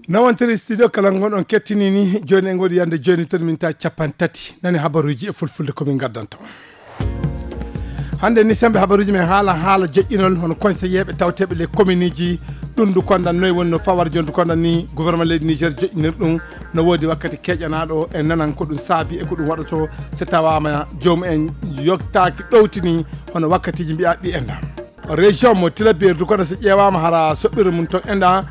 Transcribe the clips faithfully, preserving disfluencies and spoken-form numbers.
Nawantiri studio kala ngon on kettini ni, joni en ngodi yande joni to min ta capan tati. Nani habaruji e fulfulde ko min gaddanto. Hande ni sembe habaruji men haala, haala joƴƴinol hono conseiller ɓe tawteɓe les communeji. Ɗum du kondan noy wonno fawar jon du kondan ni gouvernement leydi Niger joƴƴinir ɗum. No wodi wakkati keƴanaɗo e nanan ko ɗum saabi e ko ɗum waɗoto so tawama joom en yoktaki ɗowtini hono wakkatiji mbiya ɗi enda. Région mo Tilaberi du kono so ƴeewama hara soɓɓirde mum ton enda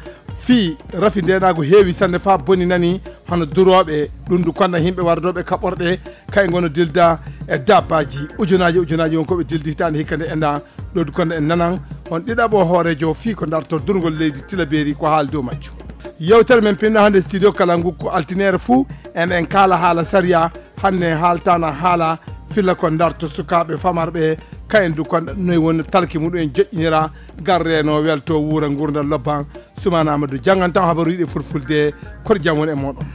fii rafi ndenago heewi sanne fa boni nani hono durooɓe ɗum du konda yimɓe wardoɓe kaɓorɗe kay ngono dilda e dabbaji ujunaji ujunaji won koɓe dildi hitande hikka nde enda. Ɗo du konda en nanan on ɗiɗaɓo hoorejo fii ko darto durgol leydi Tilaberi ko haali dow majju. Yewtere men pinɗo hande studio kala ngu ko altinere fuu en en kaala haala sariya. Hannde haaltana haala filla ko darto sukaaɓe famarɓe kayen du kon noy woni talki muɗum en joƴƴinira garreno welto wuura ngurdal lobban. Sumana Amadou janngantan habaruji ɗi fulfulde. Koɗo jam woni e moɗon.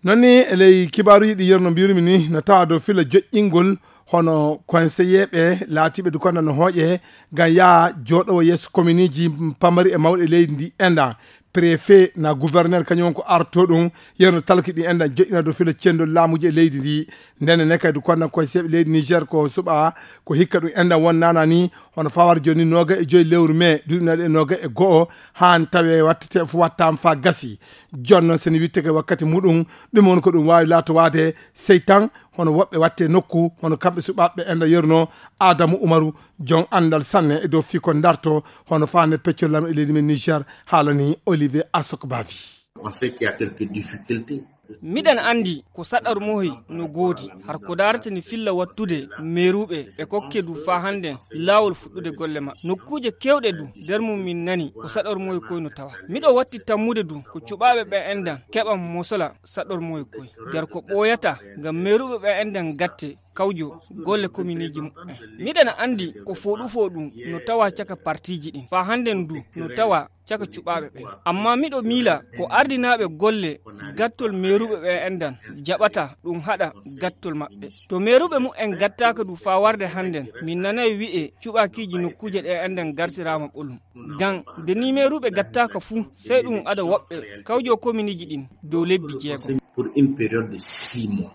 Nonni e ley kibaruji ɗi yerno mbirumi ni no tawa dow filla joƴƴingol hono conseiller ɓe laatiɓe du konda no hooƴe ngam yaa jooɗowo yeeso kominiji pamari e mawɗe leydi ndi enda. Préfet na gouverneur kañum won ko arto ɗum yerno talki ɗi enɗan joƴƴina dow filo cendol laamuji e leydi ndi. Ndene ne kadi konnan koye seeɓe leydi Niger ko suɓa ko hikka ɗum enɗan won nana ni hono fawar joni noga e joyi lewru mai duɗinaɗe noga e go'o han tawe wattete fu wattama fa gasi. Jonno seni witteke wakkati muɗum ɗum woni ko ɗum wawi lato wade sey tan hono woɓɓe watte nokku hono kamɓe suɓaɓe enɗan yerno. Adamu Umaru jon andal sanne e dow fii ko darto hono fande peccol lam e leydi men Niger. Haalani Olivier Asok Bavi. On sait qu'il y a quelques difficultés. Miɗen anndi ko saɗarmohi no goodi har ko daarata ni filla wattude meeruɓe ɓe kokke du faa hannden laawol fuɗɗude golle maɓɓe nokkuuje keewɗe du nder mum min nani ko saɗarmohi koy no tawa. Miɗo watti tammude du ko cuɓaaɓe ɓe enɗan keɓan mosola saɗarmohi koy nder ko ɓooyata ngam meeruɓe ɓe enɗan gatte kawjo golle kominiji muɓɓen. Miɗen anndi ko fooɗu fooɗu no tawa caka partiiji ɗin faa hannden du no tawa caka cuɓaaɓe ɓen. Amma miɗo miila ko ardinaaɓe golle gattol meeruɓe ɓe enɗan jaɓata ɗum haɗa gattol maɓɓe. To meeruɓe muɓɓen gattaaka du faa warde hannden min nanay wi'e cuɓaakiiji nokkuuje ɗe enɗan gartiraama ɓolum. Ngam nde ni meeruɓe gattaaka fuu sey ɗum ada woɓɓe kawjo kominiji ɗin dow lebbi jeegom. Pour une période de six mois.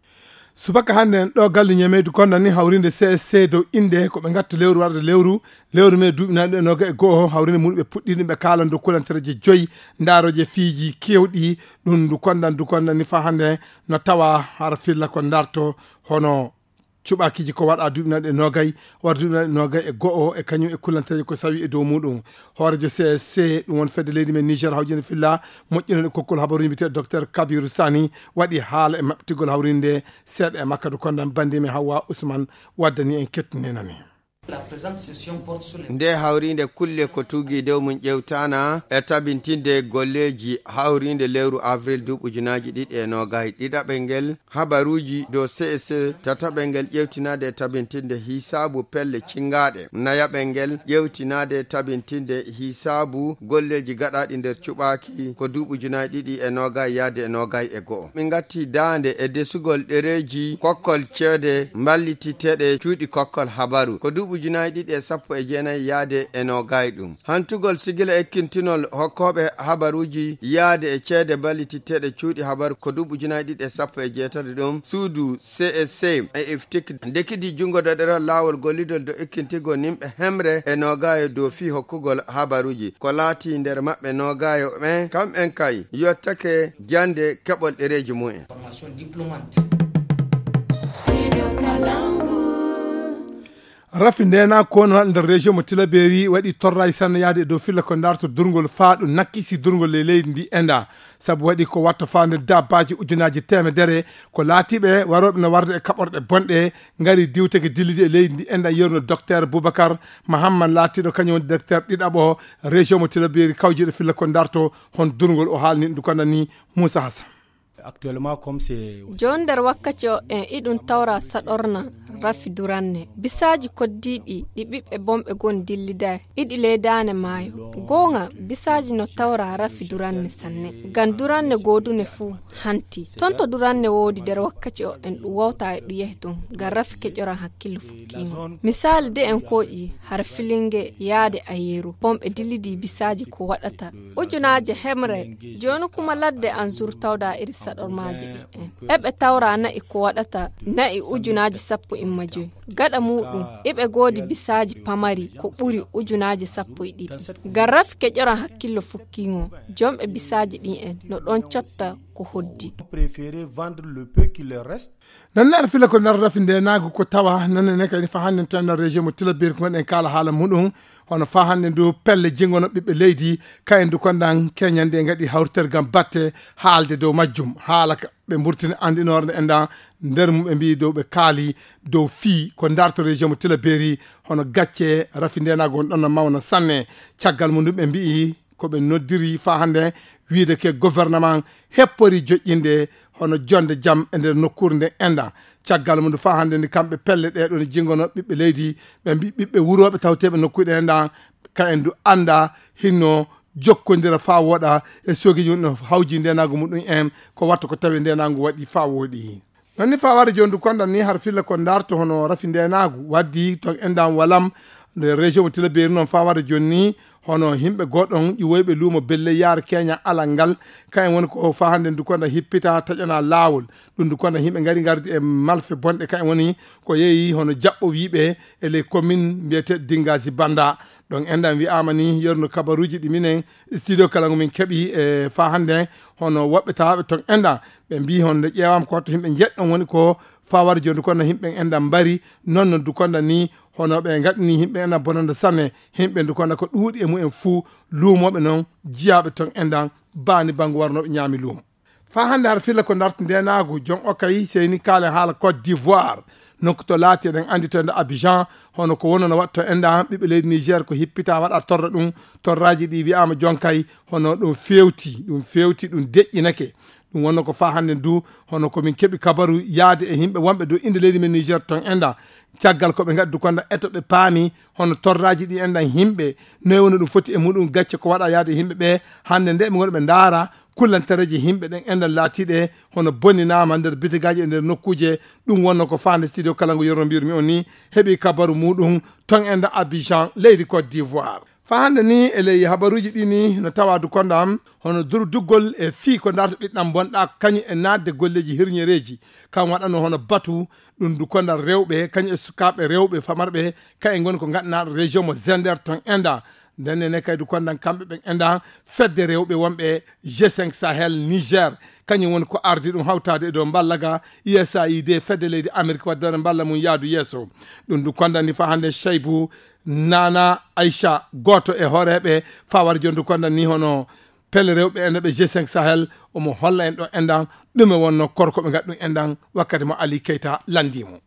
Subaka hannde en ɗo galle ñameydu konda ni hawrinde C S C dow innde ko ɓe ngatta lewru warde lewru lewru mai duuɓi naɗi e noga e go'o hawrinde muɗum ɓe puɗɗi ɗum ɓe kaalan dow kulantereje joyi. Ndaroje fiiji kewɗi ɗum ndu kondan du kondan ni fa hannde no tawa hara filla ko darto hono cuɓakiiji ko waɗa duuɓi naɗi e nogay wara duuɓi naɗi e nogay e go'o e kañum e kulantereje ko sawi e dow muɗum. Hoorejo C S C ɗum won fedde leydi men Niger hawjinde filla moƴƴinande kokkol habaruji mbiyete Docteur Kabiru Sani waɗi haala e maɓɓitigol hawrinde seeɗa e makka du kondan bandimi Hawwa Usman waddani en kettinenani. Nde hawrinde kulle ko tugi dow mum ƴewtana e tabintinde golleji hawrinde lewru avril duuɓi ujunaaji ɗiɗi e nogay. Ɗiɗaɓel ngel habaruji dow C S C. Tataɓel ngel ƴewtinaade e tabintinde hisaabu pelle cingaɗe. Nayaɓel ngel ƴewtinaade e tabintinde hisaabu golleji gaɗaɗi nder cuɓaaki ko duuɓi ujunaaji ɗiɗi e nogay yaade e nogay e go'o. Min gatti daande e desugol ɗereji kokkol ceede mballititeɗe cuuɗi kokkol habaru ko duuɓi ujunaaji ɗiɗi e sappo e jeenayi yaade e nogay ɗum. Hantugol sigila ekkintinol hokkooɓe habaruuji yaade e ceede ballititteeɗe cuuɗi habaru ko duuɓi ujunaaji ɗiɗi e sappo e jeetati ɗum suudu C S C e iftik ndekidi junngo daɗeral laawol gollidol dow ekkintigol nimɓe hemre e noogaayo dow fii hokkugol habaruuji ko laati nder maɓɓe noogaayo ɓen kamɓen kay yottake jannde keɓol ɗereeji mumen. Rafi ndena kono nder région mo Tilaberi waɗi torraji sanne yaade e dow filla ko darto durgol faa ɗum nakkisi durgol e leydi ndi enda sabu waɗi ko watta faa nder dabbaji ujunaji temedere ko laatiɓe waroɓe no warde e kaɓorɗe bonɗe ngari diwteke dillidi e leydi ndi enda yerno docteur Boubacar Mahamman laatiɗo kañum woni docteur ɗiɗaɓo région mo Tilaberi kawjiɗo filla ko darto hon durgol o haalni ɗum ko nani Moussa Hassan. Actuellement comme c'est jooni nder wakkati o en iɗum tawra saɗorna. Rafi duranne bisaaji koddiiɗi ɗi ɓiɓɓe bonɓe gon dilliday iɗi ley daane maayo. Goonga, bisaaji no tawra rafi duranne sanne. Ngam duranne goodune fuu hanti. Ton to duranne woodi nder wakkaci o en ɗum wawta e ɗum yahi ton ngam rafi keƴoran hakkillo fukkiingo. Misaali de en kooƴi har filinge yaade a yeeru bonɓe dillidi bisaaji ko waɗata ujunaaje hemre. Jooni kuma ladde an zur tawda iri saɗormaaji ɗi en eɓe tawra na'i ko waɗata na'i ujunaaji sappo imma joyi. Gaɗa muuɗum iɓe goodi bisaaji pamari ko ɓuri ujunaaji sappo e ɗiɗi. Ngam rafi keƴoran hakkillo fukkiingo, jonɓe bisaaji ɗin en no ɗon cotta ko hoddi. Préférer vendre le peu qui leur reste. Nanne aɗa fila ko nder rafi ndenaagu ko tawa nanne ne kadi fa hannde tan nder région mo tilabiri ko gonɗen kaala haala muɗum. Hono fa hannde ndu pelle jingono ɓiɓɓe leydi kayen du kondan keñande e ngaɗi hawritere ngam batte haalde dow majjum haala ka ɓe mburtini anndinoore nde enda nder mum ɓe mbiyi dow ɓe kaali dow fii ko ndarto région mo tilabiri. Hono gacce rafi ndenaagu on ɗon no mawna sanne. Caggal mum ndu ɓe mbiyi ko ɓe noddiri fa hannde wiide ke gouvernement heppori joƴƴinde hono jonde jam e nder nokkuure nde enda. Caggal mum ndu fa hannde ndi kamɓe pelle ɗe ɗon jingono ɓiɓɓe leydi ɓe mbi ɓiɓɓe wurooɓe tawteeɓe nokkuuɗe enda ka en du annda hinno jokkondira fa woɗa e soogeji woni no hawji ndenaagu muɗum en ko watta ko tawi ndenaagu waɗi fa woɗi. Nonni fa wari jondu konda ni har filla ko ndarto hono rafi ndenaagu waddi ton endan walam nde région mo tilaberi noon fa wari jonni hono himɓe goɗɗon ƴiwoyɓe luumo belle yaar keña alal ngal. Kayen woni ko fa hannde ndu konda hippita taƴana laawol. Ɗum ndu konda himɓe ngari ngardi e malfe bonɗe kayen woni ko yeeyi hono jaɓɓo wiiɓe e les commune mbiyete dingazi banda. Ɗon endan wi'ama ni yerno kabaruji ɗi minen studio kala ngo min keɓi e fa hannde hono woɓɓe tawaɓe ton endan ɓe mbi honde ƴeewama ko watto himɓe jeɗɗon woni ko fawade joni kono himɓe enɗan mbari. Noon no dukonda ni hono ɓe gaɗani himɓe enɗan bonande sanne. Himɓe dukonda ko ɗuuɗi e mumen fuu luumoɓe noon jiyaɓe ton enɗan bani bangu warnoɓe ñaami luumo. Fa hannde har filla ko darta ndenagu jon okay seyni kaalen haala Côte d'Ivoire. Nokku to laati eɗen anndi to enda Abidjan hono ko wonno no waɗto enɗan ɓiɓɓe leydi Niger ko hippita waɗa torra ɗum. Torraji ɗi wi'ama jonkay hono ɗum fewti ɗum fewti ɗum deƴƴinake. Ɗum wonno ko fa hannde du hono ko min keɓi kabaru yaade e yimɓe wonɓe dow innde leydi men Niger ton enɗan. Caggal ko ɓe ngaddu konda eto ɓe paami hono torraji ɗi enɗan yimɓe noy woni ɗum foti e muɗum gacce ko waɗa yaade e yimɓe ɓe. Hannde nde ɓe ngoni ɓe ndaara kullantereji yimɓe ɗen enɗan laatiɗe hono bonninama nder bitigaji e nder nokkuje. Ɗum wonno ko faande studio kala ngo yerno mbirmi on ni heɓi kabaru muɗum ton enɗan Abidjan leydi Côte d'Ivoire. Fa hannde ni e ley habaruji ɗi ni no tawa dukonda am hono durduggol e fii ko darta ɓiɗɗam bonɗa kañum e naatde golleji hirñereji. Kam waɗano hono batu ɗum dukonda rewɓe kañum e sukaaɓe rewɓe famarɓe. Kayen ngoni ko gaɗanaɗo région mo zender ton enɗan. Ndennene kay dukondan kamɓe ɓen enɗan fedde rewɓe wonɓe g cinq sahel niger kañum woni ko ardi ɗum hawtade e dow mballa ga usaid fedde leydi amérique waddere mballa mum yaadu yeeso. Ɗum dukondani fa hannde cheybu nana aicha gooto e hooreeɓe fawar jondu konda ni hono pelle rewɓe enɗan ɓe g cinq sahel omo holla en ɗo enɗan ɗume wonno korko ɓe ngaɗ ɗum enɗan wakkati mo ali keyta landimo.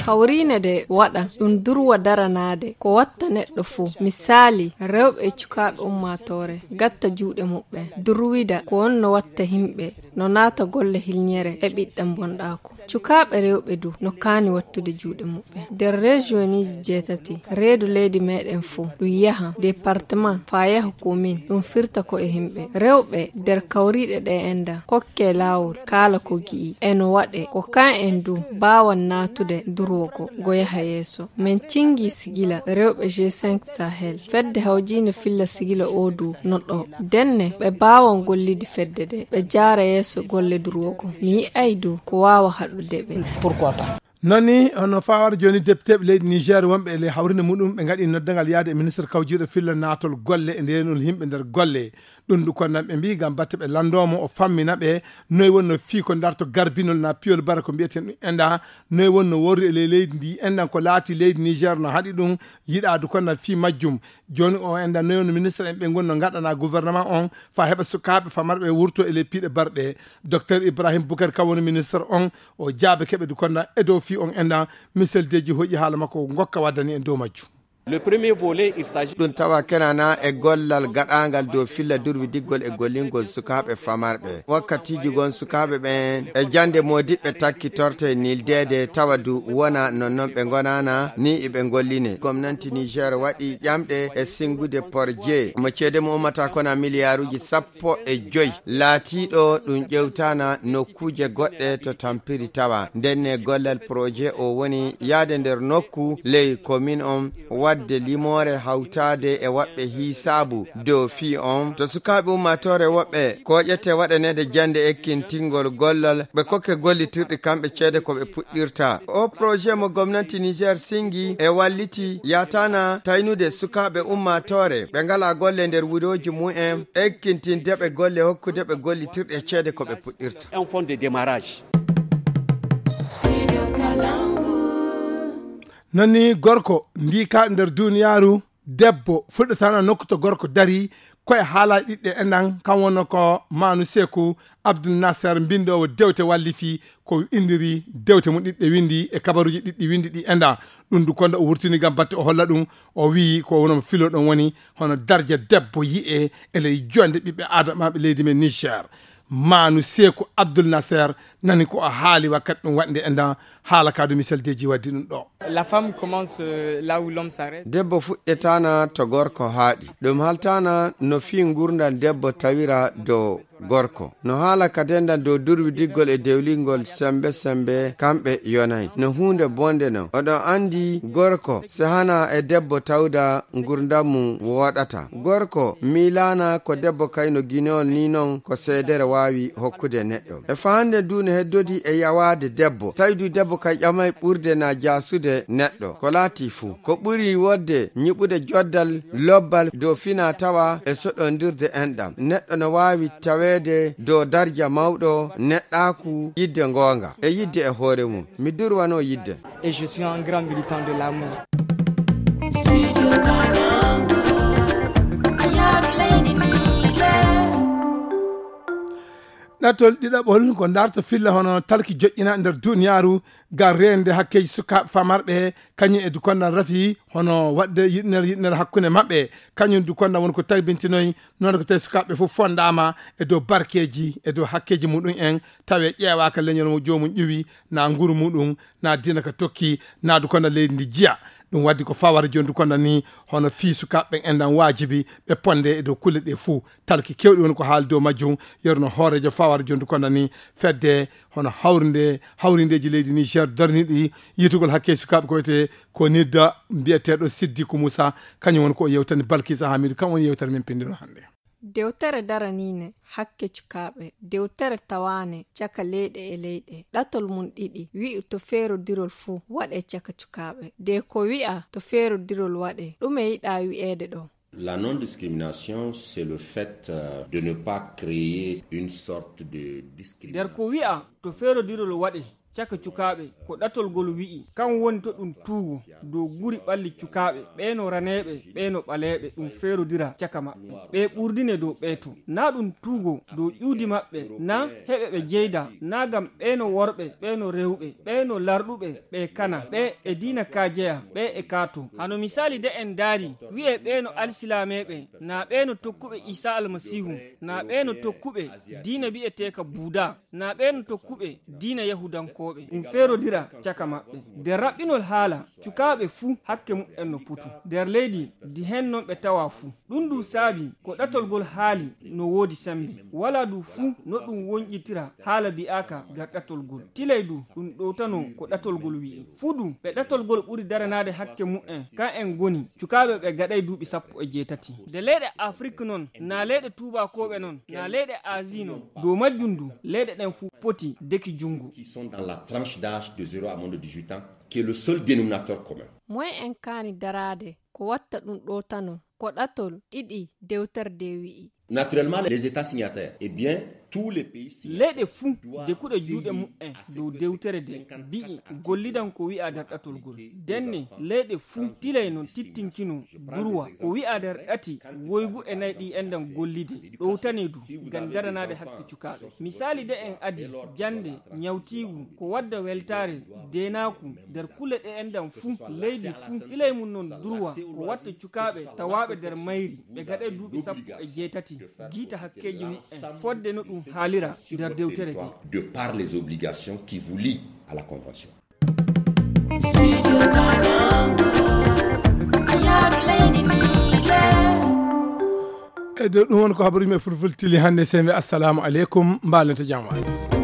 Hawriine de waɗa ɗum durwa daranaade ko watta neɗɗo fuu. Misaali, rewɓe e cukaaɓe ummaatoore gatta juuɗe muɓɓen. Durwida ko wonno watta himɓe no naata golle hilñere e ɓiɗɗam bonɗaaku. Cukaaɓe rewɓe du no kaani wattude juuɗe muɓɓen. Nder rejioniiji jeetati reedu leydi meɗen fuu ɗum yaha departement faa yaha komin ɗum firta ko e himɓe rewɓe nder kawriiɗe ɗe enɗan kokke laawol kaala ko gi'i e no waɗe ko kan en du mbaawan naatude durwogo ngo yaha yeeso. Min cingi sigila rewɓe g cinq sahel fedde hawjiinde filla sigila oo du no ɗo denne ɓe mbaawan gollidi fedde de ɓe jaara yeeso golle durwogo mi yi'ay du ko waawa haɗude ɓe. Nani hono fawar joni depiteɓe leydi niger wonɓe e ley hawrinde muɗum ɓe gaɗi noddagal yaade e ministre kawjiɗo filla natol golle e ndenol yimɓe nder golle. Ɗum du konnan ɓe mbi gam batte ɓe landomo o fammina ɓe noy wonno fii ko darto garbinol na piyol bara ko mbiyeten ɗum enɗa noy wonno worri e ley leydi ndi enɗan ko laati leydi niger no haɗi ɗum. Yiɗa du konnan fii majjum. Joni o enɗan noy wonno ministre en ɓe gonno gaɗana gouvernement on fa heɓa sukaaɓe famarɓe wurto e ley piiɗe barɗe. Docteur ibrahim boukar kam woni ministre on o jaabe keɓe du konnan e dow fii on enɗan. Miseldeji hoƴi haala makko gokka waddani en dow majjum. Le premier volet, il s'agit ɗum tawa kenana e gollal gaɗangal dow filla durwidiggol e gollingol sukaaɓe famarɓe. Wakkatiiji gon sukaaɓe ɓen e jannde moodiɓɓe takkitorte nildeede tawa du wona nonnon ɓe ngonana ni iɓe ngolline. Gomnanti Niger waɗi ƴamɗe e singude porje mo ceede mo ummata kona miliyaaruuji sappo e joy. Laatiiɗo ɗum ƴewtana nokkuuje goɗɗe to tampiri tawa. Ndenne gollal projet o woni yaade nder nokku ley commune on, wadde limoore hawtaade e waɓɓe hiisaabu dow fii on. To sukaaɓe ummaatoore woɓɓe ko ƴette waɗaneede jannde ekkintingol gollal, ɓe kokke gollitirɗi kamɓe ceede ko ɓe puɗɗirta. O projet mo gomnanti Niger singi e walliti yatana taynude sukaaɓe ummaatoore ɓe ngala golle nder wurooji mumen, ekkintinde ɓe golle, hokkude ɓe gollitirɗe e ceede ko ɓe puɗɗirta. Un fonds de démarrage. Nani gorko ndika nder duniyaaru, debbo fuɗɗatana nokku to gorko dari, koye haala ɗiɗɗe enɗan, kan wonno ko Manu Seku Abdul Nasser, mbindoowo dewte wallifi ko indiri dewte mum ɗiɗɗe windi e kabaruuji ɗiɗɗi windi ɗi enɗan. Ɗum du konda o wurtini gam batte o holla ɗum, o wiyi ko wono filo ɗon woni hono darja debbo yi'e e ley jonde ɓiɓɓe adamaɓe leydi men Niger. Manu Seku Abdul Nasser nani ko o haali wakkati ɗum waɗde enɗan, haala ka du Michel Deji waddi ɗum ɗo. La femme commence, euh, là où l'homme s'arrête. Debbo fuɗɗetana to gorko haaɗi. Ɗum haltana no fii ngurndam debbo tawira dow gorko. No haala ka dendan dow durwidiggol e dewlingol sembe sembe kamɓe yonay. No huunde bonde non. Oɗon andi gorko sehana e debbo tawda ngurndam mum woɗata. Gorko miilana ko debbo kayno guinol ni non ko seedere waawi hokkude neɗɗo. E fahande du no heddodi e yawaade debbo. Tawi du debbo kay ƴamay ɓurde na jaasude neɗɗo. Ko laati fuu. Ko ɓuri wodde ñiɓude joddal lobbal dow fina tawa e soɗondirde enɗam. Neɗɗo no waawi taweede dow darja mawɗo, neɗɗaaku, yidde ngoonga e yidde e hoore mum. Mi durwano yidde. Et je suis un grand militant de l'amour. Ɗatol ɗiɗaɓol ko darto filla hono talki joƴƴina nder duniyaaru ngam reende hakkeeji sukaaɓe famarɓe he, kañum e dukondan rafi hono waɗde yiɗnere yiɗnere hakkunde maɓɓe. Kañum dukondan woni ko tabintinoy noon ko tawi sukaaɓe fof fondaama e dow barkeeji e dow hakkeeji muɗum en, tawi ƴeewaaka leñol mo joomum ƴuwi, na nguru muɗum, na diina ka tokki, na dukondan leydi ndi jiya. Ɗum waddi ko fawara joni dukondan ni hono fii sukaaɓe ɓen enɗan waajibi ɓe ponde e dow kulle ɗe fuu. Talki kewɗi woni ko haali dow majjum. Yeru no hooreejo fawara joni dukondan ni fedde hono hawrinde hawrindeeji leydi Niger darniiɗi yitugol hakke sukaaɓe ko wiyetee ko nidda mbiyeteeɗo Siddiku Musa. Kañum woni ko o yewtani Balkisa Hamidu, kam woni yewtere men pinndiro hannde. Dewtere daraniine hakke cukaaɓe, dewtere tawaane caka leyɗe e leyɗe, ɗatol mum ɗiɗi, wi'u to feerodirol fuu waɗee caka cukaaɓe. De ko wi'a to feerodirol waɗee, ɗume yiɗaa wi'eede ɗo? La non-discrimination, c'est le fait, euh, de ne pas créer une sorte de discrimination. Nder ko wi'a to feerodirol waɗee caka cukaaɓe, ko ɗatol ngol wi'i, kan woni to ɗum tuugo dow guri ɓalli cukaaɓe, ɓee no raneeɓe, ɓee no ɓaleeɓe, ɗum feerodira caka maɓɓe, ɓee ɓurdine dow ɓee to. Na ɗum tuugo dow ƴuwdi maɓɓe, na heɓe ɓe jeyda, na gam ɓee no worɓe, ɓee no rewɓe, ɓee no larɗuɓe, ɓee kana, ɓee e diina ka jeya, ɓee e ka to. Hano misaali de en ndaari, wi'ee ɓee no alsilaameeɓe, na ɓee no tokkuɓe Iisaa Almasiihu, na ɓee no tokkuɓe diina bi'eteeka Buuda, na ɓee no tokkuɓe diina Yahudankooɓe. Ɗum feerodira caka maɓɓe. Nder raɓɓinol haala, cukaaɓe fuu hakke muɓɓen no potu. Nder leydi ndi heen non ɓe tawa fuu. Ɗum du saabi ko ɗatol ngol haali no woodi semmbe. Walaa du fuu no ɗum wonƴitira haala bi'aaka nder ɗatol ngol. Tilay du ɗum ɗowtano ko ɗatol ngol wi'i. Fuu du ɓe ɗatol ngol ɓuri daranaade hakke muɓɓen, kan en ngoni cukaaɓe ɓe gaɗay duuɓi sappo e jeetati. Nde leyɗe Afrik non, na leyɗe tuubaakooɓe non, na leyɗe Azii non. Dow majjum du, leyɗe ɗen fuu poti deki junngo. Qui sont dans la tranche d'âge de zéro à moins de dix-huit ans, qui est le seul dénominateur commun. Moy en kaani daraade ko watta ɗum ɗowtano ko ɗatol ɗiɗi dewtere nde wi'i. Naturellement, les États signataires, eh bien, Leyɗe fuu de kuɗa juuɗe mu'en dow dewtere de, bi'i gollidan ko wi'a darɗatol gol. Denne leyɗe fuu tilay non tittinkino durwa ko wi'a darɗati woygu e nay ɗi endan gollide ɗowtane du ngam daranaade hakke cukaaɓe. Misaali de en adi jannde ñawtiigu ko wadda weltaare deenaaku nder kule ɗe endan fuu, leydi fuu tilay mum non durwa ko watta cukaaɓe tawaaɓe nder mayri ɓe gaɗay duuɓi sappo e jeetati giita hakkeeji mu'en fodde no ɗum haalira nder dewtere de. De par les obligations qui vous lient à la convention. E dow ɗum won ko habaruuji men fulfulde tili hannde, sey mbi assalamu aleykum, mbaalante jam waali.